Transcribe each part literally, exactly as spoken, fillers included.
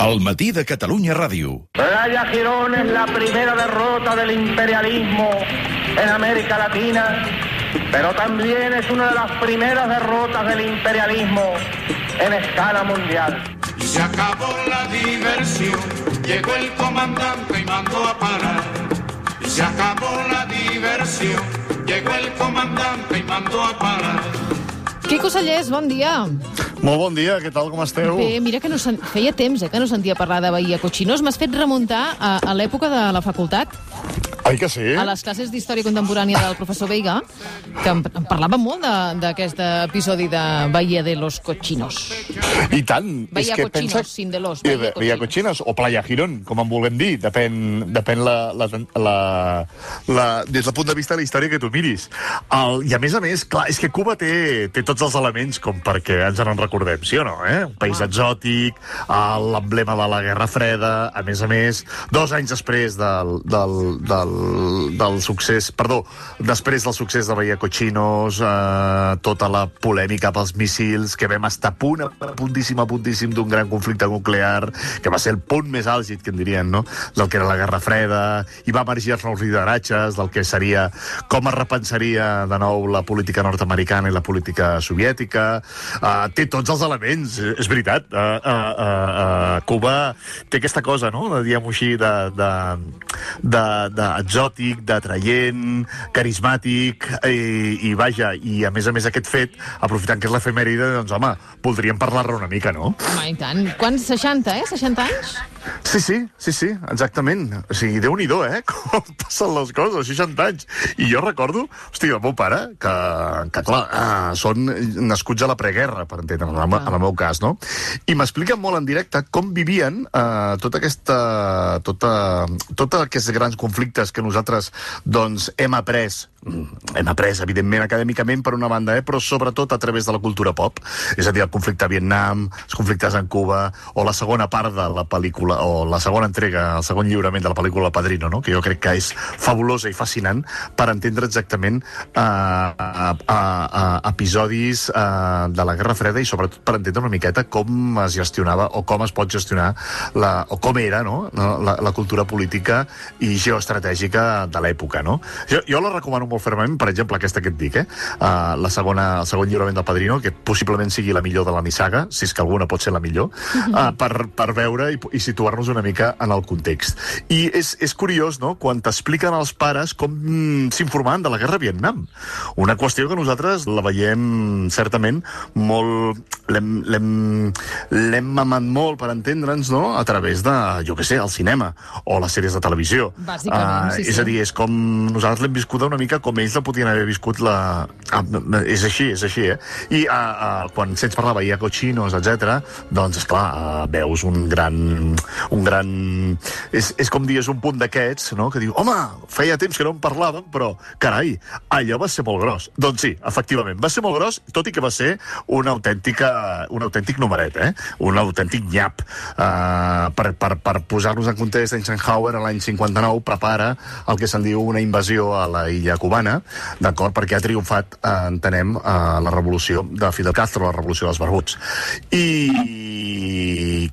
El matí de Catalunya Ràdio. Playa Girón es la primera derrota del imperialismo en América Latina, pero también es una de las primeras derrotas del imperialismo en escala mundial. Se acabó la diversión, llegó el comandante y mandó a parar. Se acabó la diversión, llegó el comandante y mandó a parar. Quico Sallés, bon dia. Molt bon dia, què tal, com esteu? Bé, mira que no sen... feia temps eh, que no sentia parlar de Bahia Cochinos. M'has fet remuntar a, a l'època de la facultat. Ai, que sí? A les classes d'història contemporània del professor Veiga, que em, em parlava molt d'aquest episodi de Bahia de los Cochinos. I tant. Bahia és que Cochinos, pensa... sin de los. Eh, Bahia Bahia Cochinos. Cochinos o Playa Girón, com en vulguem dir. Depèn, depèn la, la, la, la, des del punt de vista de la història que tu miris. El, I a més a més, clar, és que Cuba té, té tots els elements com perquè ens en recordem, sí o no? Eh? Un país ah. exòtic, l'emblema de la Guerra Freda, a més a més, dos anys després del, del, del, del succés, perdó, després del succés de Bahia Cochinos, eh, tota la polèmica pels míssils, que vam estar a punt, a puntíssim, a puntíssim d'un gran conflicte nuclear, que va ser el punt més àlgid, que en dirien, no?, del que era la Guerra Freda, i va emergir els nous lideratges del que seria, com es repensaria de nou la política nord-americana i la política soviètica. Uh, té tots els elements, és veritat. Uh, uh, uh, uh, Cuba té aquesta cosa, no?, de, diguem-ho així, de, de, de, de exòtic, d'atraient, carismàtic, i, i vaja, i a més a més aquest fet, aprofitant que és l'efemèride, doncs home, voldríem parlar-ne una mica, no? Home, i tant. Quants? seixanta, eh? seixanta anys? Sí, sí, sí, sí, exactament. O sigui, Déu-n'hi-do, eh? Com passen les coses, seixanta anys. I jo recordo, hòstia, el meu pare, que, que clar, ah, són nascuts a la preguerra, per entendre, en el, en el meu cas, no? I m'expliquen molt en directe com vivien eh, tota aquesta... Tota, tota aquests grans conflictes que nosaltres, doncs, hem après, hem après, evidentment, acadèmicament, per una banda, eh, però sobretot a través de la cultura pop. És a dir, el conflicte a Vietnam, els conflictes en Cuba, o la segona part de la pel·lícula, o la segona entrega, el segon lliurament de la pel·lícula Padrino, no?, que jo crec que és fabulosa i fascinant per entendre exactament eh, eh, eh, episodis eh, de la Guerra Freda i sobretot per entendre una miqueta com es gestionava o com es pot gestionar la, o com era, no?, la, la cultura política i geoestratègica de l'època, no? Jo, jo la recomano molt fermament, per exemple, aquesta que et dic, eh? Uh, la segona, el segon lliurament del Padrino, que possiblement sigui la millor de la nissaga, si és que alguna pot ser la millor, uh, per, per veure i, i situar-nos una mica en el context. I és, és curiós, no?, quan t'expliquen els pares com mm, s'informaven de la guerra a Vietnam. Una qüestió que nosaltres la veiem certament molt... l'hem mamat molt per entendre'ns, no?, a través de, jo què sé, el cinema o les sèries de televisió. Bàsicament, uh, sí, sí. És a dir, és com nosaltres l'hem viscut una mica com ells la podien haver viscut la... Ah, és així, és així, eh? I uh, uh, quan sents parlar Bahia Cochinos, etcètera, doncs, esclar, uh, veus un gran... un gran... És, és com dius un punt d'aquests, no?, que diu, home, feia temps que no en parlàvem, però, carai, allò va ser molt gros. Doncs sí, efectivament, va ser molt gros, tot i que va ser una autèntica, un autèntic numeret, eh? Un autèntic nyap. Uh, per, per, per posar-nos en context, Eisenhower, a l'any cinquanta-nou, prepara el que se'n diu una invasió a la illa cubana, d'acord, perquè ha triomfat, eh, entenem, eh, la revolució de Fidel Castro, la revolució dels barbuts. I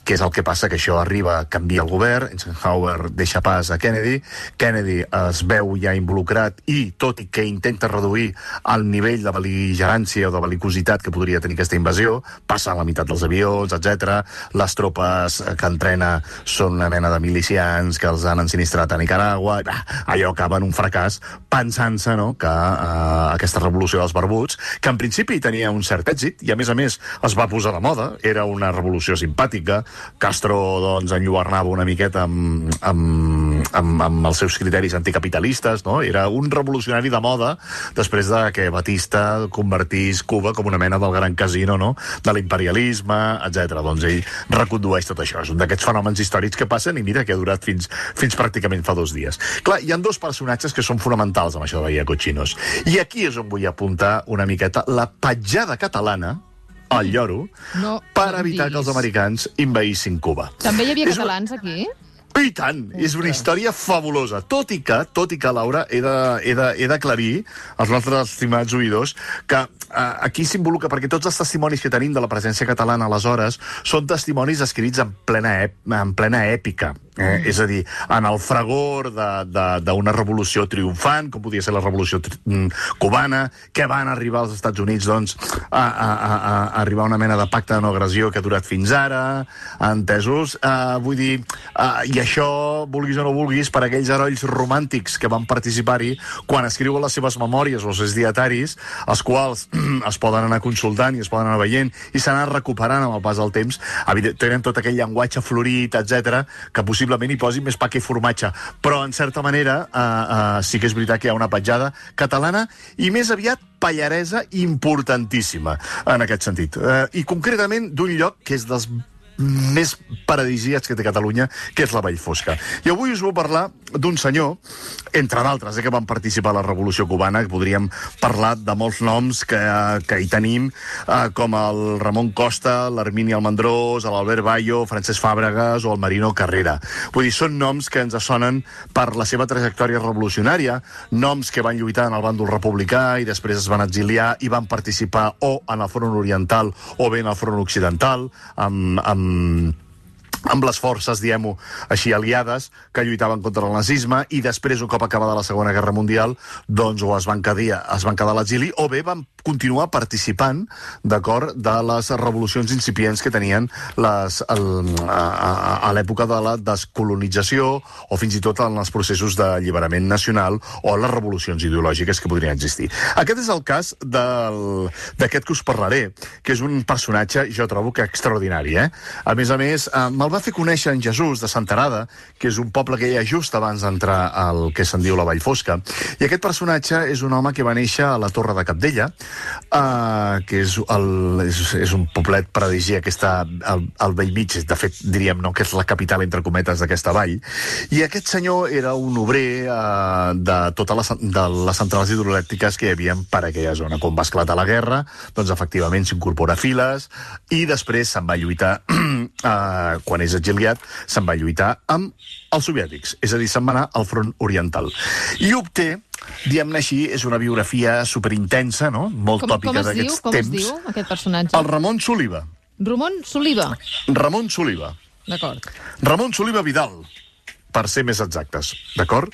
què és el que passa? Que això arriba, canvia el govern, Eisenhower deixa pas a Kennedy, Kennedy es veu ja involucrat i, tot i que intenta reduir el nivell de bel·ligerància o de bel·licositat que podria tenir aquesta invasió, passa a la meitat dels avions, etcètera. Les tropes que entrena són una mena de milicians que els han ensinistrat a Nicaragua, i, bah, allò acaba en un fracàs, pensant-se, no?, que eh, aquesta revolució dels barbuts, que en principi tenia un cert èxit, i a més a més es va posar de moda, era una revolució simpàtica, Castro, doncs, enlluernava una miqueta amb, amb, amb, amb els seus criteris anticapitalistes, no?, era un revolucionari de moda, després de que Batista convertís Cuba com una mena del gran casino, no?, de l'imperialisme, etcètera. Doncs ell recondueix tot això, és un d'aquests fenòmens històrics que passen, i mira que ha durat fins, fins pràcticament fa dos dies. Clar, hi ha dos personatges que són fonamentals amb això de Bahia Cochinos. I aquí és on vull apuntar una miqueta la petjada catalana, al lloro, no, per evitar que els americans invaïssin Cuba. També hi havia és catalans aquí? I tant, és una història fabulosa. Tot i que, tot i que, Laura, he de, he de, he d'aclarir als nostres estimats oïdors que eh, aquí s'involucra, perquè tots els testimonis que tenim de la presència catalana aleshores són testimonis escrits en plena, ep, en plena èpica. Eh? Mm. És a dir, en el fragor d'una revolució triomfant, com podia ser la revolució cubana, que van arribar als Estats Units doncs, a, a, a, a arribar a una mena de pacte de no agressió que ha durat fins ara, entesos? Eh, vull dir, eh, i això, vulguis o no vulguis, per aquells herois romàntics que van participar-hi, quan escriuen les seves memòries o els seus dietaris, els quals es poden anar consultant i es poden anar veient i s'han anat recuperant amb el pas del temps, tenen tot aquell llenguatge florit, etcètera, que possiblement hi posin més pa que formatge. Però, en certa manera, eh, eh, sí que és veritat que hi ha una petjada catalana i més aviat pallaresa importantíssima en aquest sentit. Eh, I concretament d'un lloc que és dels més paradisíacs que té Catalunya, que és la Vallfosca. I avui us vull parlar d'un senyor, entre d'altres, eh, que van participar a la Revolució Cubana, que podríem parlar de molts noms que, que hi tenim, eh, com el Ramon Costa, l'Hermini Almendrós, l'Albert Bayo, Francesc Fàbregas o el Marino Carrera. Vull dir, són noms que ens sonen per la seva trajectòria revolucionària, noms que van lluitar en el bàndol republicà i després es van exiliar i van participar o en el front oriental o bé en el front occidental, amb, amb amb les forces, diguem-ho així, aliades, que lluitaven contra el nazisme i després, un cop acabada la Segona Guerra Mundial, doncs o es van quedar, es van quedar a l'exili o bé van continuar participant, d'acord, de les revolucions incipients que tenien les, el, a, a, a l'època de la descolonització o fins i tot en els processos d'alliberament nacional o les revolucions ideològiques que podrien existir. Aquest és el cas d'aquest que us parlaré, que és un personatge, jo trobo que extraordinari, eh? A més a més, eh, me'l va fer conèixer en Jesús de Senterada, que és un poble que hi ha just abans d'entrar al que se'n diu la Vallfosca, i aquest personatge és un home que va néixer a la Torre de Cabdella, Uh, que és, el, és, és un poblet paradisíac que està al, al vell mig, de fet diríem no, que és la capital entre cometes d'aquesta vall, i aquest senyor era un obrer uh, de totes les, de les centrals hidroelèctriques que hi havia per aquella zona. Quan va esclatar la guerra, doncs efectivament s'incorpora a files i després se'n va lluitar uh, quan és exiliat, se'n va lluitar amb els soviètics, és a dir, se'n va anar al front oriental i obté, diguem-ne així, és una biografia superintensa, no? Molt com, tòpica d'aquests temps. Com es diu, aquest personatge? El Ramon Soliva. Ramon Soliva. Ramon Soliva. D'acord. Ramon Soliva Vidal, per ser més exactes, d'acord?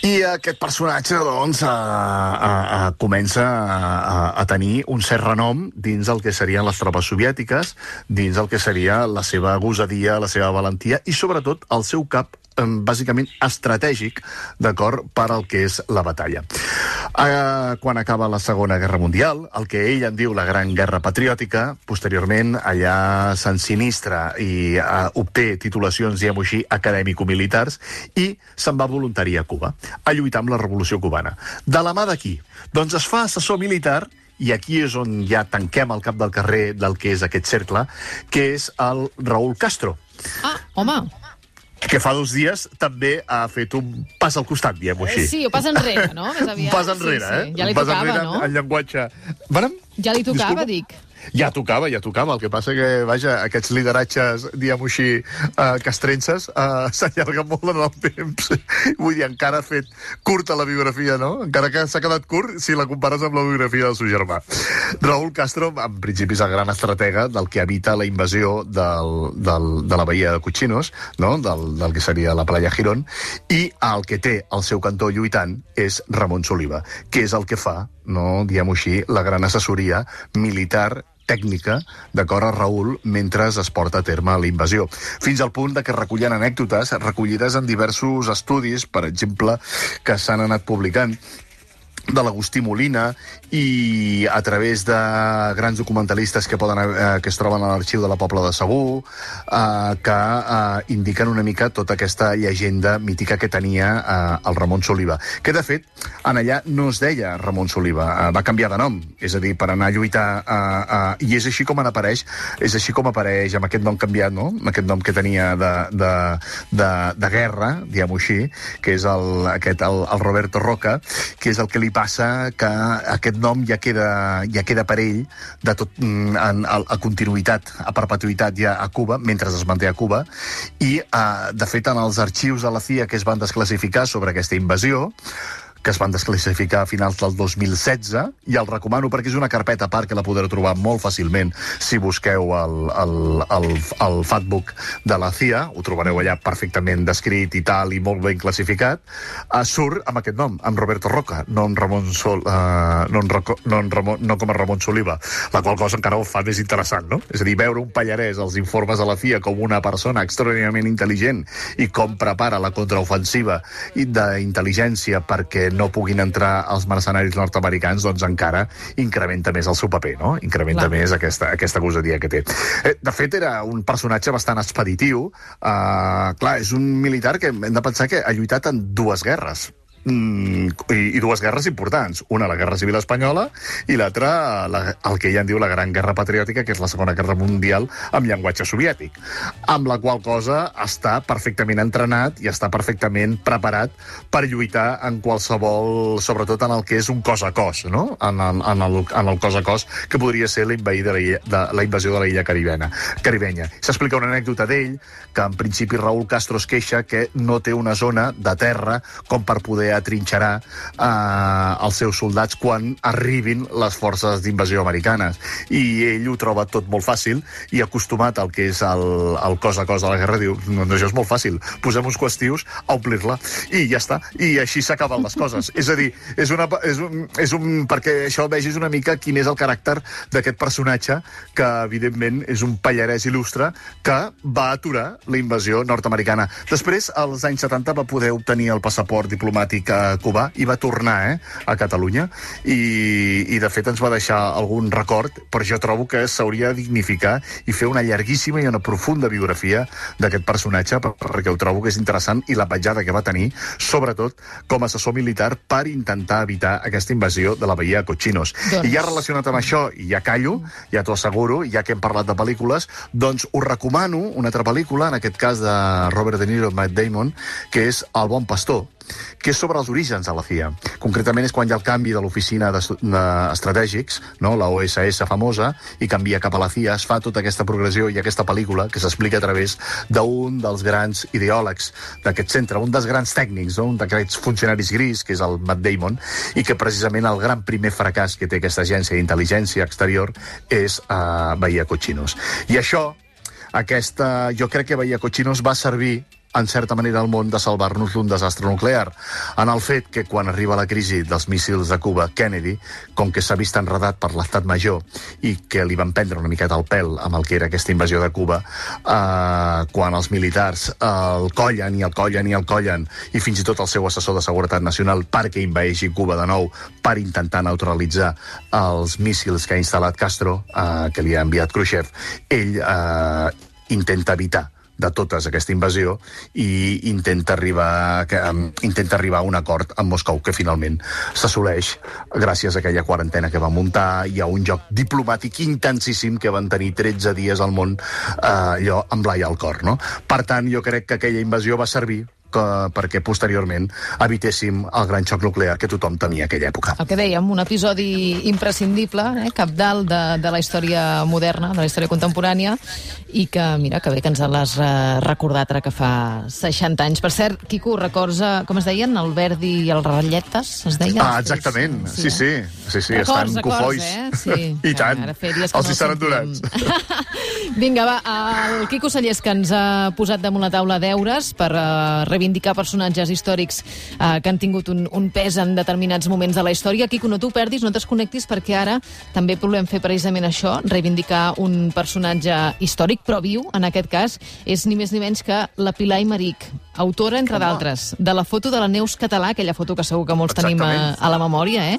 I aquest personatge, doncs, a, a, a, comença a, a tenir un cert renom dins el que serien les tropes soviètiques, dins el que seria la seva gosadia, la seva valentia i, sobretot, el seu cap bàsicament estratègic, d'acord, per al que és la batalla. Eh, quan acaba la Segona Guerra Mundial, el que ell en diu la Gran Guerra Patriòtica, posteriorment allà s'ensinistra i eh, obté titulacions, diguem-ho així, acadèmico-militars i se'n va voluntari a Cuba, a lluitar amb la Revolució Cubana. De la mà d'aquí? Doncs es fa assessor militar i aquí és on ja tanquem el cap del carrer del que és aquest cercle, que és el Raúl Castro. Ah, home! Que fa dos dies també ha fet un pas al costat, diguem-ho així. Sí, o pas enrere, no? Més aviat. Un pas enrere, sí, sí. eh? Ja li un pas tocava, enrere no? en llenguatge... Vàrem? Ja li tocava, Disculpa? dic. Ja tocava, ja tocava. El que passa que, vaja, aquests lideratges, diguem-ho així, uh, castrenses, uh, s'allarguen molt en el temps. Vull dir, encara ha fet curta la biografia, no? Encara que s'ha quedat curt si la compares amb la biografia del seu germà. Raúl Castro, en principi, és el gran estratega del que evita la invasió del, del, de la Bahia de Cochinos, no? del, del que seria la Playa Girón, i el que té al seu cantó lluitant és Ramon Soliva, que és el que fa, no, diguem-ho així, la gran assessoria militar tècnica, d'acord, a Raúl mentre es porta a terme la invasió. Fins al punt de que recullen anècdotes recollides en diversos estudis, per exemple, que s'han anat publicant, de l'Agustí Molina i a través de grans documentalistes que poden eh, que es troben a l'arxiu de la Pobla de Segur, eh, que eh, indiquen una mica tota aquesta llegenda mítica que tenia eh, el Ramon Soliva. Que, de fet, en allà no es deia Ramon Soliva, eh, va canviar de nom, és a dir, per anar a lluitar, eh, eh, i és així com en apareix, és així com apareix amb aquest nom canviat, no? Amb aquest nom que tenia de, de, de, de guerra, diguem-ho així, que és el, aquest, el, el Roberto Roca, que és el que li passa que aquest nom ja queda, ja queda per ell de tot, en, a, a continuïtat, a perpetuïtat ja a Cuba, mentre es manté a Cuba, i uh, de fet en els arxius de la C I A que es van desclassificar sobre aquesta invasió, que es van desclassificar a finals del dos mil setze, i el recomano perquè és una carpeta a part que la podreu trobar molt fàcilment si busqueu el, el, el, el Fatbook de la C I A, ho trobareu allà perfectament descrit i tal, i molt ben classificat, uh, surt amb aquest nom, amb Roberto Roca, no, amb Ramon Sol, uh, no, en Roco, no, en Ramon, no com a Ramon Soliva, la qual cosa encara ho fa més interessant, no? És a dir, veure un pallarès als informes de la C I A com una persona extraordinàriament intel·ligent i com prepara la contraofensiva d'intel·ligència perquè no puguin entrar els mercenaris nord-americans, doncs encara incrementa més el seu paper, no? Incrementa clar. més aquesta, aquesta gosadia que té. Eh, de fet, era un personatge bastant expeditiu. Uh, clar, és un militar que hem de pensar que ha lluitat en dues guerres. Mm, i, i dues guerres importants. Una, la Guerra Civil Espanyola, i l'altra, la, el que ella en diu la Gran Guerra Patriòtica, que és la Segona Guerra Mundial amb llenguatge soviètic, amb la qual cosa està perfectament entrenat i està perfectament preparat per lluitar en qualsevol, sobretot en el que és un cos a cos, no? En el, en el, en el cos a cos que podria ser la, de la, de, la invasió de la illa caribena, caribenya. S'explica una anècdota d'ell, que en principi Raúl Castro es queixa que no té una zona de terra com per poder atrinxerar eh, els seus soldats quan arribin les forces d'invasió americanes. I ell ho troba tot molt fàcil, i acostumat al que és el, el cos a cos de la guerra, diu, no, no, això és molt fàcil, posem uns qüestius a omplir-la, i ja està, i així s'acaben les coses. És a dir, és, una, és, un, és un... perquè això vegis una mica quin és el caràcter d'aquest personatge, que evidentment és un pallarès il·lustre que va aturar la invasió nord-americana. Després, als anys setanta, va poder obtenir el passaport diplomàtic a Cuba i va tornar eh, a Catalunya, i, i de fet ens va deixar algun record, però jo trobo que s'hauria de dignificar i fer una llarguíssima i una profunda biografia d'aquest personatge, perquè ho trobo que és interessant, i la petjada que va tenir, sobretot com a assessor militar per intentar evitar aquesta invasió de la Bahia de Cochinos. Doncs... I ja relacionat amb això, i ja callo, ja t'ho asseguro, ja que hem parlat de pel·lícules, doncs us recomano una altra pel·lícula, en aquest cas de Robert De Niro i Matt Damon, que és El bon pastor, que és sobre els orígens de la C I A. Concretament és quan hi ha el canvi de l'oficina d'estratègics, no? La O S S famosa, i canvia cap a la C I A, es fa tota aquesta progressió i aquesta pel·lícula que s'explica a través d'un dels grans ideòlegs d'aquest centre, un dels grans tècnics, no? Un d'aquests funcionaris gris, que és el Matt Damon, i que precisament el gran primer fracàs que té aquesta agència d'intel·ligència exterior és uh, Bahia Cochinos. I això, aquesta, jo crec que Bahia Cochinos va servir en certa manera al món de salvar-nos d'un desastre nuclear, en el fet que quan arriba la crisi dels míssils de Cuba, Kennedy, com que s'ha vist enredat per l'estat major i que li van prendre una miqueta el pèl amb el que era aquesta invasió de Cuba, eh, quan els militars eh, el collen i el collen i el collen, i fins i tot el seu assessor de seguretat nacional perquè invaeixi Cuba de nou per intentar neutralitzar els míssils que ha instal·lat Castro, eh, que li ha enviat Khrushchev, ell eh, intenta evitar de totes aquesta invasió i intenta arribar, que, um, intenta arribar a un acord amb Moscou, que finalment s'assoleix gràcies a aquella quarantena que va muntar i a un joc diplomàtic intensíssim que van tenir tretze dies al món, eh, allò amb l'ai al cor, no? Per tant, jo crec que aquella invasió va servir que, perquè posteriorment evitéssim el gran xoc nuclear que tothom temia a aquella època. El que dèiem, un episodi imprescindible, eh, cabdal de, de la història moderna, de la història contemporània, i que, mira, que bé que ens l'has eh, recordat ara que fa seixanta anys. Per cert, Quico, records, eh, com es deien, el Verdi i els ratlletes, es deien? Ah, exactament, sí, sí, sí, sí, sí records, estan cofois. Eh? Sí, I tant, els no hi estan endurats. Vinga, va, el Quico Sallés, que ens ha posat damunt la taula deures per uh, reivindicar personatges històrics uh, que han tingut un, un pes en determinats moments de la història. Quico, no t'ho perdis, no t'esconnectis, perquè ara també volem fer precisament això, reivindicar un personatge històric, però viu, en aquest cas, és ni més ni menys que la Pilar Aymerich, autora, entre d'altres, de la foto de la Neus Català, aquella foto que segur que molts Exactament. tenim a, a la memòria, eh?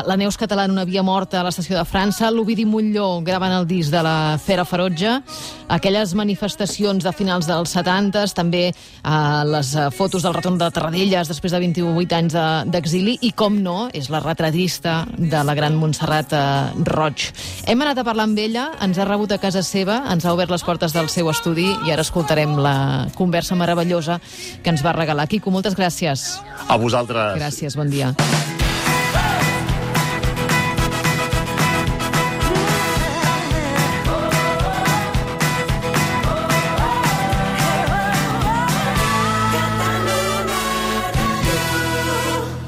La Neus Català en una via morta a l'estació de França, l'Ovidi Montllor gravant el disc de la Fera Ferotge, aquelles manifestacions de finals dels setanta, també eh, les fotos del retorn de Tarradellas després de vint-i-vuit anys d'exili, de, i com no, és la retratista de la gran Montserrat eh, Roig. Hem anat a parlar amb ella, ens ha rebut a casa seva, ens ha obert les portes del seu estudi i ara escoltarem la conversa meravellosa que ens va regalar. Quico, moltes gràcies. A vosaltres. Gràcies, bon dia.